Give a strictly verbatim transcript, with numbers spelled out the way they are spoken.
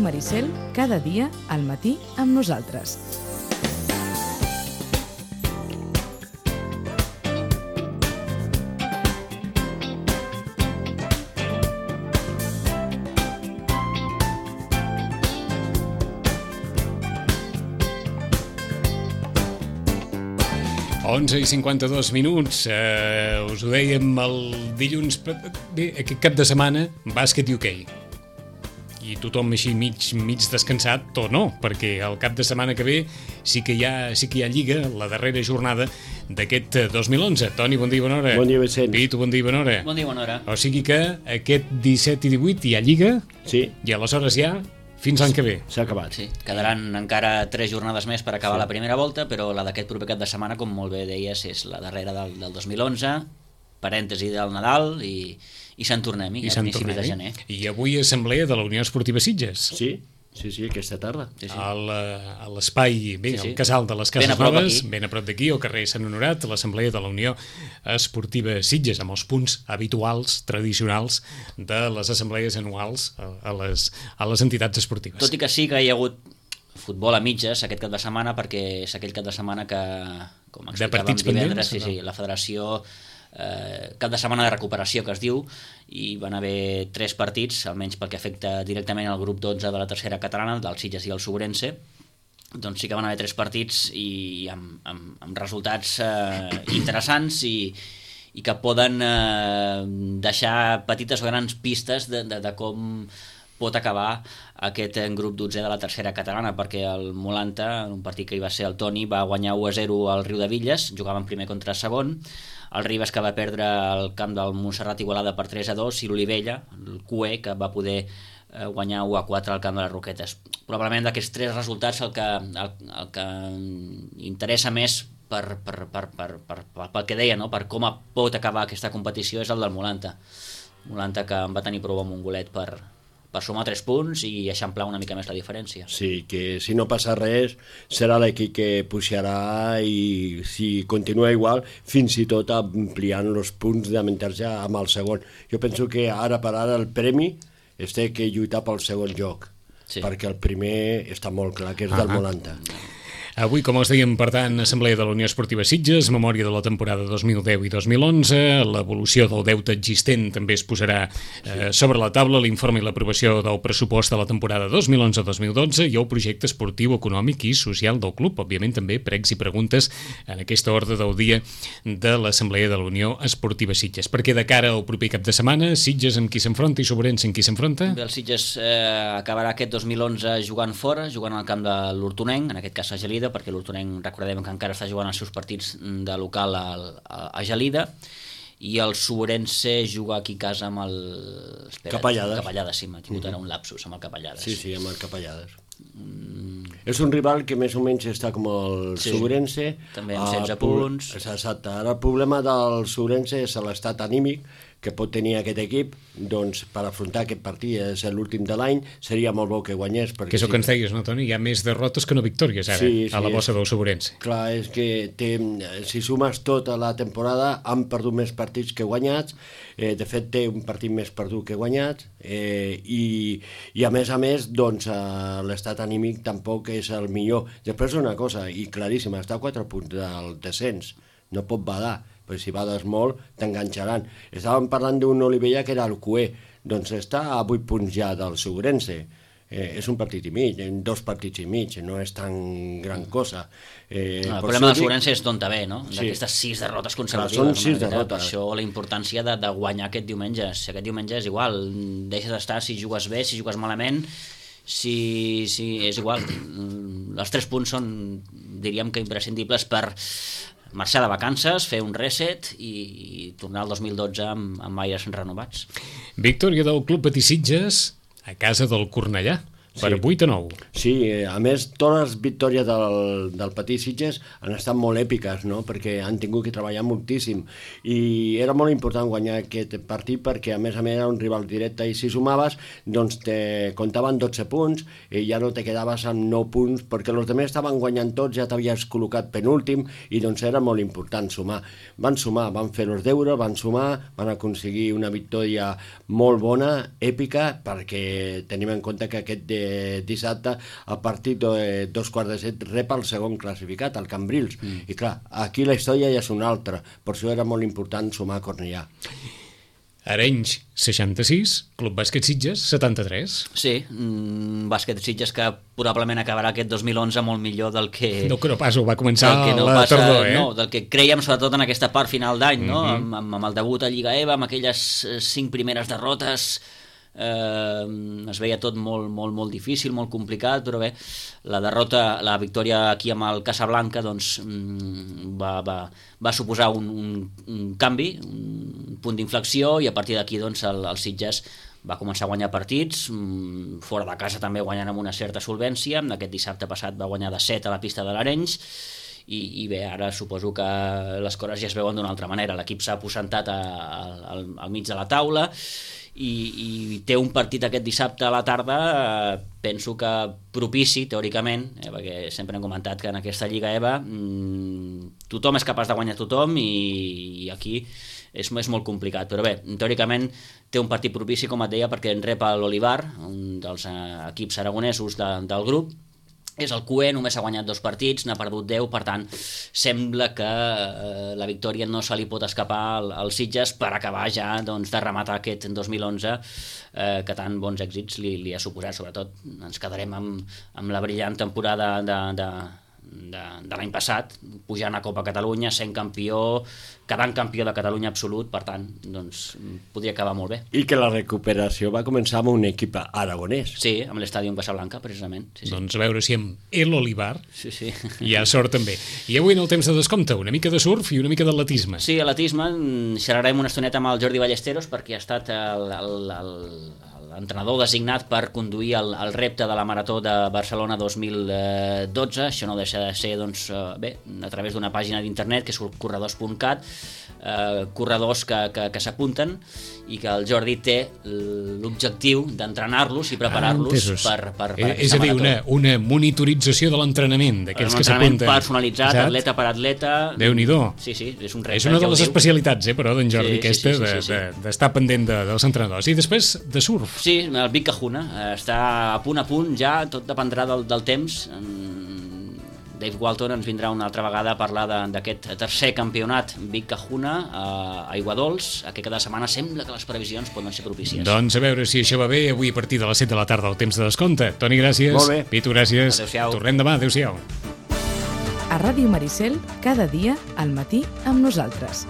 Maricel, cada dia al matí amb nosaltres. onze i cinquanta-dos minuts, eh, us ho dèiem el dilluns, bé, aquest cap de setmana, bàsquet i hoquei. I tothom així mig, mig descansat, o no, perquè el cap de setmana que ve sí que hi ha, sí que hi ha Lliga, la darrera jornada d'aquest dos mil onze. Toni, bon dia i bona hora. Bon dia, Vicent. Pitu, bon dia i bona hora. Bon dia i bona hora. O sigui que aquest disset i divuit hi ha Lliga, sí. I aleshores ja fins l'any que ve. S'ha acabat. Sí, quedaran encara tres jornades més per acabar sí. la primera volta, però la d'aquest proper cap de setmana, com molt bé deies, és la darrera del, del dos mil onze, parèntesi del Nadal, i, i se'n tornem, i a principis de gener. I avui assemblea de la Unió Esportiva Sitges. Sí, sí, sí, aquesta tarda. Sí, sí. Al, a l'espai, bé, sí, sí. al casal de les Cases ben Noves, ben a prop d'aquí, al carrer Sant Honorat, l'assemblea de la Unió Esportiva Sitges, amb els punts habituals, tradicionals, de les assemblees anuals a, a, les, a les entitats esportives. Tot i que sí que hi ha hagut futbol a mitges aquest cap de setmana, perquè és aquell cap de setmana que, com explicàvem divendres, sí, sí, la federació... Eh, cap de setmana de recuperació que es diu, i van haver tres partits, almenys pel que afecta directament al grup dotze de la tercera catalana, del Sitges i el Sobrense. Doncs sí que van haver tres partits i amb, amb, amb resultats eh, interessants i, i que poden eh, deixar petites o grans pistes de, de, de com pot acabar aquest grup dotzè de la tercera catalana, perquè el Molanta, en un partit que hi va ser el Toni, va guanyar u a zero al Riudevilles, jugaven primer contra segon, el Ribes, que va perdre el camp del Montserrat Igualada per tres a dos, i l'Olivella, el Q E, que va poder guanyar u a quatre al camp de les Roquetes. Probablement d'aquests tres resultats el que, el, el que interessa més per, per, per, per, per, per, pel que deia, no? Per com pot acabar aquesta competició, és el del Molanta. Molanta, que en va tenir prou amb un golet per... per sumar tres punts i eixamplar una mica més la diferència. Sí, que si no passa res serà l'equip que pujarà, i si continua igual, fins i tot ampliant els punts d'avantatge amb el segon. Jo penso que ara per ara el premi es té que lluitar pel segon lloc, sí. Perquè el primer està molt clar que és del Molanta. Avui, com us dèiem, per tant, Assemblea de la Unió Esportiva Sitges, memòria de la temporada dos mil deu i dos mil onze, l'evolució del deute existent també es posarà eh, sobre la taula, l'informe i l'aprovació del pressupost de la temporada dos mil onze dos mil dotze i el projecte esportiu, econòmic i social del club. Òbviament també pregs i preguntes en aquesta ordre del dia de l'Assemblea de la Unió Esportiva Sitges. Perquè de cara al proper cap de setmana, Sitges amb qui s'enfronta i Sobrense amb qui s'enfronta? Bé, el Sitges eh, acabarà aquest dos mil onze jugant fora, jugant al camp de l'Hortonenc, en aquest cas a Gelida, perquè l'Hortonenc, recordem que encara està jugant els seus partits de local a, a, a Gelida, i el Sobrense juga aquí a casa amb el... Espera, Capellades. Capellades, sí, m'ha tingut mm-hmm. ara un lapsus amb el Capellades. Sí, sí, amb el Capellades. Mm. És un rival que més o menys està com el sí. Sobrense. També amb setze punts. Exacte. Ara el problema del Sobrense és l'estat anímic que pot tenir aquest equip, doncs per afrontar aquest partit, és l'últim de l'any, seria molt bo que guanyés. Que és el que ens deies, no, Toni? Hi ha més derrotes que no victòries ara, sí, sí, a la bossa del Sobrense. Clar, és que té, si sumes tota la temporada, han perdut més partits que guanyats, eh, de fet té un partit més perdut que guanyat, eh, i, i a més a més, doncs, eh, l'estat anímic tampoc és el millor. Després una cosa, i claríssima, està a quatre punts del descens, no pot badar, però si bades molt t'enganxaran. Estàvem parlant d'un Olivella que era el Q E, doncs està a vuit punts ja del Sobrense. Eh, és un partit i mig, dos partits i mig, no és tan gran cosa. Eh, no, el problema del Sobrense és d'on ve, no? D'aquestes sí. sis derrotes consecutives. Són sis derrotes. Per això la importància de, de guanyar aquest diumenge. Si aquest diumenge és igual, deixes d'estar si jugues bé, si jugues malament, si, si és igual. Els tres punts són, diríem que imprescindibles per marxar de vacances, fer un reset i, i tornar al dos mil dotze amb, amb aires renovats. Victòria del Club Patí Sitges a casa del Cornellà. Per sí. vuit a nou. Sí, a més, totes les victòries del, del Patí Sitges han estat molt èpiques, no? Perquè han tingut que treballar moltíssim. I era molt important guanyar aquest partit perquè, a més a més, era un rival directe i si sumaves, doncs te comptaven dotze punts i ja no te quedaves amb nou punts perquè els altres estaven guanyant tots, ja t'havies col·locat penúltim i doncs era molt important sumar. Van sumar, van fer els deures, van sumar, van aconseguir una victòria molt bona, èpica, perquè tenim en compte que aquest de eh, dissabte, a partir de dos quarts de set, rep el segon classificat, el Cambrils. Mm. I clar, aquí la història ja és una altra. Per això era molt important sumar Cornellà. Arenys, seixanta-sis, Club Bàsquet Sitges, setanta-tres. Sí, mm, Bàsquet Sitges que probablement acabarà aquest dos mil onze molt millor del que... No, que no pas, ho va començar no la passa, tardor, eh? No, del que creiem sobretot en aquesta part final d'any, no? Mm-hmm. amb, amb, amb el debut a Lliga E V A, amb aquelles cinc primeres derrotes, eh, es veia tot molt, molt, molt difícil, molt complicat, però bé, la derrota, la victòria aquí amb el Casablanca doncs, va, va, va suposar un, un, un canvi, un punt d'inflexió, i a partir d'aquí doncs, el, el Sitges va començar a guanyar partits, fora de casa també guanyant amb una certa solvència. Aquest dissabte passat va guanyar de set a la pista de l'Arenys, i, i bé, ara suposo que les coses ja es veuen d'una altra manera. L'equip s'ha aposentat a, a, al, al mig de la taula, i, i té un partit aquest dissabte a la tarda, eh, penso que propici, teòricament, eh, perquè sempre hem comentat que en aquesta Lliga E V A mmm, tothom és capaç de guanyar tothom, i, i aquí és, és molt complicat, però bé, teòricament té un partit propici, com et deia, perquè en rep l'Olivar, un dels eh, equips aragonesos de, del grup. És el Q E, només ha guanyat dos partits, n'ha perdut deu, per tant, sembla que eh, la victòria no se li pot escapar al, al Sitges per acabar ja doncs, de rematar aquest dos mil onze, eh, que tan bons èxits li, li ha suposat. Sobretot ens quedarem amb, amb la brillant temporada de, de, de, de l'any passat, pujant a Copa Catalunya, sent campió, quedant campió de Catalunya absolut, per tant, doncs, podria acabar molt bé. I que la recuperació va començar amb un equip aragonès. Sí, amb l'estadi Casablanca, precisament. Sí, sí. Doncs a veure si amb el Olivar sí, sí. hi ha sort també. I avui en el temps de descompte, una mica de surf i una mica d'atletisme. Sí, atletisme, xerrarem una estoneta amb el Jordi Ballesteros, perquè ha estat el, el, el, l'entrenador designat per conduir el, el repte de la Marató de Barcelona dos mil dotze. Això no deixa de ser, doncs, bé, a través d'una pàgina d'internet que és corredors punt cat, eh, corredors que, que, que s'apunten, i que el Jordi té l'objectiu d'entrenar-los i preparar-los ah, per, per, per eh, és a dir, una, una monitorització de l'entrenament d'aquells que s'apunten. Un entrenament personalitzat, exacte, atleta per atleta. Déu-n'hi-do. Sí, sí, és un repte. És una de les especialitats, eh, però, d'en Jordi, sí, aquesta, sí, sí, sí, sí, d'estar de, de, de pendent de, dels entrenadors. I després, de surf. Sí, el Vic Cajuna està a punt a punt ja, tot dependrà del, del temps. Dave Walton ens vindrà una altra vegada a parlar d'aquest tercer campionat Vic Cajuna a Aigua Dols, que cada setmana sembla que les previsions poden ser propícies. Doncs a veure si això va bé, avui a partir de les set de la tarda el temps de descompte. Toni, gràcies. Molt bé. Pitu, gràcies. Adéu-siau. Tornem demà, adéu-siau. A Ràdio Maricel, cada dia al matí amb nosaltres.